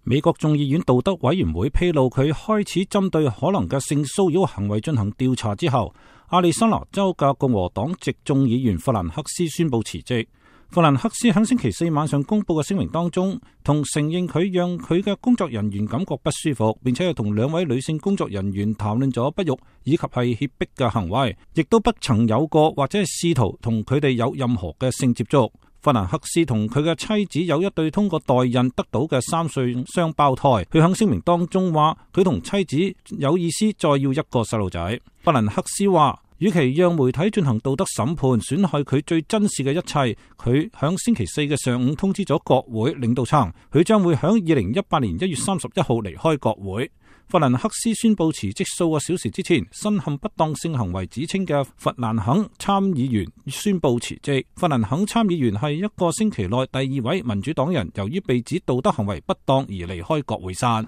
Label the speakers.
Speaker 1: 美國眾議院道德委員會披露佢開始針對可能嘅性騷擾行為進行調查之後，亞利桑那州嘅共和黨籍眾議員弗蘭克斯宣布辭職。弗蘭克斯喺星期四晚上公布嘅聲明當中，同承認佢讓佢嘅工作人員感覺不舒服，並且係同2位女性工作人員談論咗不育以及係脅迫嘅行為，亦都不曾有過或者係試圖同佢哋有任何嘅性接觸。弗蘭克斯同佢嘅妻子有一對通過代孕得到嘅3歲雙胞胎。佢喺聲明當中話，佢同妻子有意思再要一個細路仔。弗蘭克斯話，與其讓媒體進行道德審判，損害佢最珍視嘅一切，佢響星期四嘅上午通知咗國會領導層，佢將會響2018年1月31號離開國會。弗蘭克斯宣布辭職數個小時之前，身陷不當性行為指稱嘅弗蘭肯參議員宣布辭職。弗蘭肯參議員係一個星期內第2位民主黨人，由於被指道德行為不當而離開國會山。